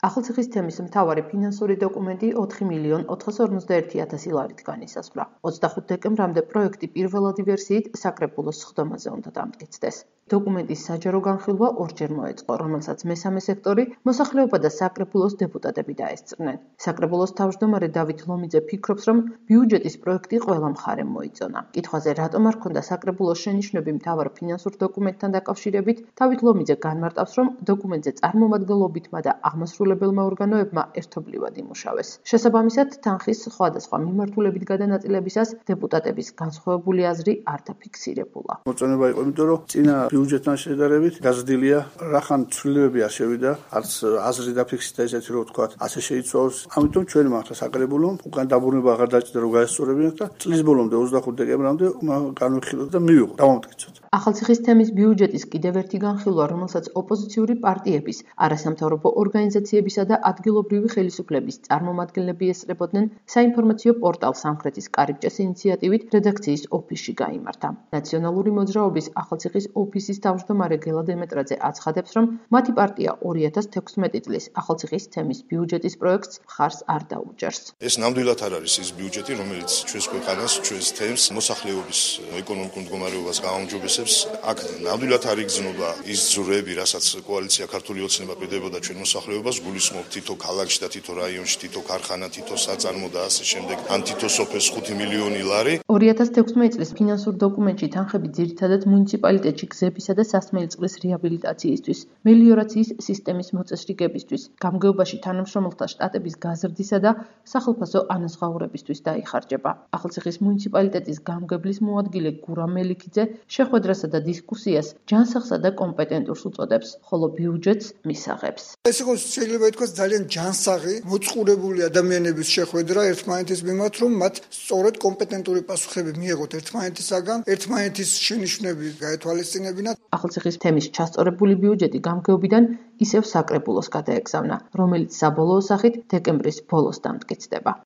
ახალციხის თემის მთავარი ფინანსური დოკუმენტი 4.451.000 ლარით განისაზღვრა. 25 დეკემბრამდე პროექტი პირველადი ვერსიით საკრებულოს სხდომაზე უნდა დამტკიცდეს. დოკუმენტის საჯარო განხილვა ორჯერ მოეწყო, რომელსაც მესამე სექტორი, მოსახლეობა და საკრებულოს დეპუტატები დაესწრნენ. საკრებულოს თავმჯდომარე დავით ლომიძე ფიქრობს, რომ ბიუჯეტის პროექტი ყველა მხარემ მოიწონა. კითხვაზე, რატომ არ ჰქონდა საკრებულოს შენიშვნები მთავარ ფინანსურ დოკუმენტთან დაკავშირებით, დავით ლომიძე განმარტავს, რომ დოკუმენტზე წარმომადგენლობითმა და აღმასრულებელმა ორგანოებმა ერთობლივად იმუშავეს. შესაბამისად, თანხის სხვადასხვა მიმართულებით გადანაწილებისას დეპუტატების განსხვავებული აზრი არ დაფიქსირებულა. მოწონება იყო, იმიტომ რომ წინა ბიუჯეტთან შედარებით გაზრდილია, რახან ცვლილებები არ შევიდა, არც აზრი დაფიქსირდა ესეთი რომ ვთქვა, ასე შეიცვალოს. ამიტომ ჩვენ მართლა საკრებულომ უკან დაბრუნება აღარ დაჭირდა რომ გაესწორებინათ და წლის ბოლომდე 25 დეკემბრამდე განვიხილოთ და მივიღოთ, დავამტკიცოთ. ახალციხის თემის ბიუჯეტის კიდევ ერთი განხილვა, რომელსაც ოპოზიციური პარტიების, არასამთავრობო ორგანიზაციებისა და ადგილობრივი ხელისუფლების წარმომადგენლები ესწრებოდნენ, საინფორმაციო პორტალ სამხრეთის კარიბჭეს ინიციატივით რედაქციის ოფისში გაიმართა. ნაციონალური მოძრაობის ახალციხის ოფისის თავმჯდომარე გელა დემეტრაძე აცხადებს, რომ მათი პარტია 2016 წლის ახალციხის თემის ბიუჯეტის პროექტს მხარს არ დაუჭერს. ეს ნამდვილად არ არის ის ბიუჯეტი, რომელიც ჩვენს ქვეყანას, ჩვენს თემს, მოსახლეობის ეკონომიკურ მდგომარეობას გააუმჯობესებს. აქ ნამდვილად არ იგრძნობა ის ძვრები, რასაც კოალიცია ქართული ოცნება პირდებოდა ჩვენ მოსახლეობას, გულისხმობ თითო ქალაქში და თითო რაიონში, თითო ქარხანა, თითო საწარმო და ასე შემდეგ, ან თითო სოფელს 5 მილიონი ლარი. 2016 წლის ფინანსურ დოკუმენტში თანხები ძირითადად მუნიციპალიტეტში გზებისა და სასმელი წყლის რეაბილიტაციისთვის, მელიორაციის სისტემის მოწესრიგებისთვის, გამგეობაში თანამშრომელთა შტატების გაზრდისა და სახელმწიფო ანაზღაურებისთვის დაიხარჯება. ახალციხის მუნიციპალიტეტის გამგებლის მოადგილე გურამ მელიქიძე შეხვედრასა და დისკუსიას ჯანსაღსა და კომპეტენტურს უწოდებს, ხოლო ბიუჯეტს მისაღებს. ეს იყო შეიძლება ითქვას ძალიან ჯანსაღი, მოწყურებული ადამიანების შეხვედრა ერთმანეთის მიმართ, რომ მათ სწორედ კომპეტენტური პასუხები მიეღოთ ერთმანეთისაგან, ერთმანეთის შენიშვნები გაეთვალისწინებინათ. ახალციხის თემის ჩასწორებული ბიუჯეტი გამგეობიდან ისევ საკრებულოს გადაეგზავნა, რომელიც საბოლოო სახით დეკემბრის ბოლოს დამტკიცდება.